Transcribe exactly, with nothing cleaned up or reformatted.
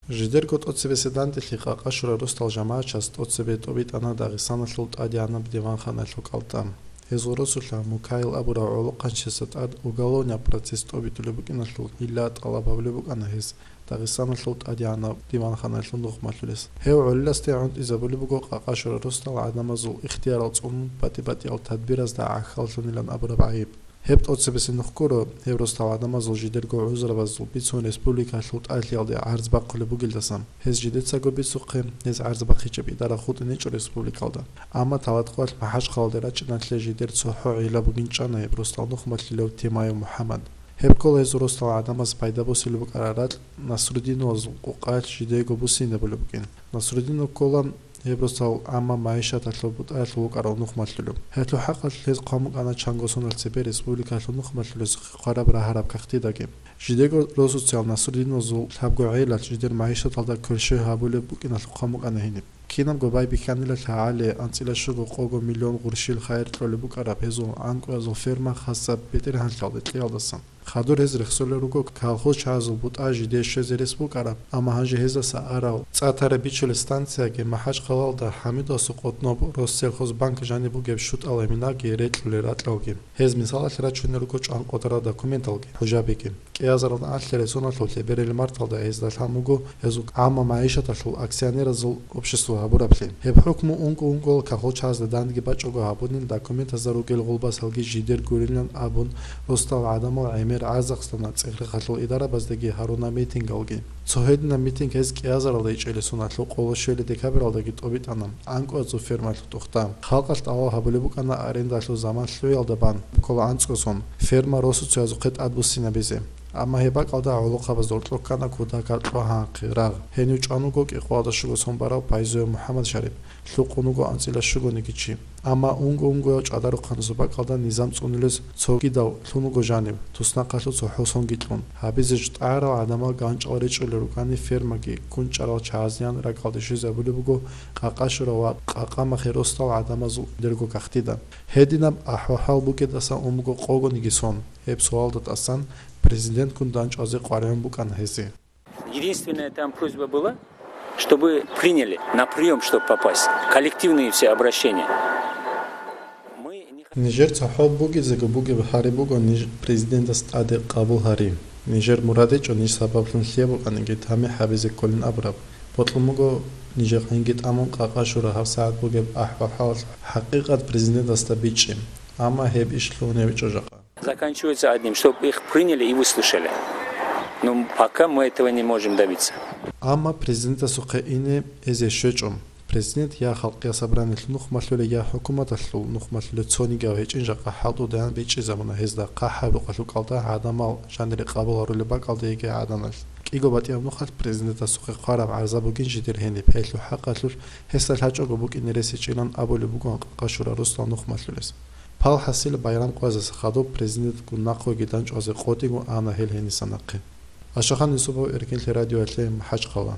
Жидерго тӀоцебесеб дандилъи Къакъа Шура росдал жамагӀатчияс тӀоцебе тӀобитӀана Дагъистаналъул тӀадегӀанаб диванханалъул кӀалтӀа. Гьезул росулъа Мукаил абурав гӀолохъанчиясда тӀад уголовный процесс тӀобитӀулеб букӀиналъул гьилла тӀалаб гьабулеб букӀана гьес Дагъистаналъул тӀадегӀанаб диванханалъул нухмалъулес. Гьев гӀолиласде гӀунтӀизабулеб буго Къакъа Шура росдал гӀадамазул ихтиярал цӀунун батӀи-батӀиял тадбиразда гӀахьаллъунилан абураб гӀайиб. Гьеб тӀоцебесеб нух гуро, гьеб росдал гӀадамазул жидерго гӀузрабазул бицун республикалъул тӀалъиялде гӀарз бахъулеб бугелдасан, гьез жидецаго бицухъе, гьез гӀарз бахъичӀеб идара хутӀинечӀо республикалда. Амма Талаткъоялъ МахӀачхъалалде рачӀиналъе жидер цохӀо гӀилла бугин чӀана гьеб росдал нухмалъулев Темаев МухӀаммад. Гьеб ккола гьезул росдал гӀадамаз пайда босулеб букӀараб ракь Насрудиновазул къукъаялъ жидего буссинабулеб букӀин. Насрудинов ккола гьеб росдал гӀамма магӀишаталъул бутӀаялъул вукӀарав нухмалъулев. Гьелъул хӀакъалъулъ гьез хъван букӀана чанго соналъ цебе республикалъул нухмалъулезухъе хъвараб рагьараб кагътидаги. Жидего росуциял Насрудиновазул лъабго гӀелалъ жидер магӀишаталда кверщой гьабулеб букӀиналъухъ хъван букӀана гьениб. Кинабго байбихьанилалъ гьагӀали анцӀила щуго къого миллион гъурщил хайир кьолеб букӀараб гьезул анкӀуязул ферма хасаб БетӀергьанлъиялде кьеялдасан. Хадур гьез рехсолел руго колхозчагӀазул бутӀа жидее щвезе рес букӀараб, амма гьанже гьездаса арал цӀа тараб бичулеб станцияги МахӀачхъалалда ХӀамидовасул къотӀноб Россельхозбанк жаниб бугеб щутӀал гьиминаги рекьулел ракьалги. Гьез мисалалъе рачунел руго чӀван къотӀарал документалги, хӀужабиги. КӀиазаралда алъересуналъул лъеберел марталда гьезда лъан буго гьезул гӀамма магӀишаталъул акционеразул общество гьабураблъи. Гьеб хӀукму унго-унгоял колхозчагӀазда данде бачӀого гьабунин, документазда ругел гъулбасалги жидер гурилан абун, росдал гӀадамал гӀемер гӀарзахъана цӀехрехалъул идарабаздаги гьаруна митингалги. Цо гьединаб митинг гьез кӀиазаралда ичӀелесуналъул къоло щвелеб декабралдаги тӀобитӀана анкӀуязул фермалъул тӀухьда. Халкъалъ тӀалаб гьабулеб букӀана арендалъул заман лъугӀиялда бан, ккола анцӀго сон, ферма росуцаязухъе тӀадбуссинабизе. Амма гьеб бакӀалда гӀолохъабазда гьоркьоб ккана кутакаб кьогьанахъе рагъ. Гьенив чӀван вуго кӀикъоялда щуго сон барав Пайзуев МухӀаммад-Шариф, лъукъун вуго анцӀила щугониги чи. Амма унго-унгоял ЧӀадарухъанасул бакӀалда низам цӀунулез цогидав лъун вуго жанив, туснахъалъур цохӀо сонги кьун. Гьабизе житӀарал гӀадамал ганчӀал речӀчӀулел рукӀани фермаги кунчӀарал чагӀазеян ракӀалде щвезабулеб буго Къакъа Шура ва Къакъа Махе росдал гӀадамазул жидерго кагътида. Гьединаб ахӀвал-хӀал букӀиндасан ун буго къогониги сон. Гьеб суалда тӀасан президентгун дандчӀвазе къваригӀун букӀана гьезие. Единственная там просьба была, чтобы приняли на приём, чтобы попасть. Коллективные все обращения. Мы не х- Нижер цохӀо бугезего бугеб гьари буго ниж президентас тӀаде къабул гьари. Нижер мурад гьечӀо ниж сабаблъун лъие букӀаниги тамихӀ гьабизе кколин абураб. Бокьун буго нижер гӀинги тӀамун Къакъа Шура гьабсагӀат бугеб ахӀвал-хӀал хӀакъикъат президентасда бичӀчӀи. Амма гьеб иш лъугьунеб гьечӀо жакъа. Заканчивается одним, чтоб их приняли и выслушали. Но пока мы этого не можем добиться. Амма президентасухъе ине эзе щвечӀо. Президент я халкъ, я собраниялъул нухмалъулев, я хӀукуматалъул нухмалъулев цонигияв гьечӀин жакъа хӀалтӀудаян бичӀчӀизабуна гьезда хъахӀаб рукъалъул кӀалда гӀадамал жанире къабул гьарулеб бакӀалда йигей гӀаданалъ. КӀиго батӀияб нухалъ президентасухъе хъвараб гӀарза бугин жидер гьениб, гьелъул хӀакъалъулъ гьесда лъачӀого букӀине рес гьечӀилан абулеб бугоан Къакъа Шура росдал нухмалъулес. Пал хӀасил, байрам къоязаса хадуб президентгун нахъеги дандчӀвазе къотӀиго ана гьел гьениса нахъе. Ашахан Юсупов, Эркинлъи радиоялъе, МахӀачхъала.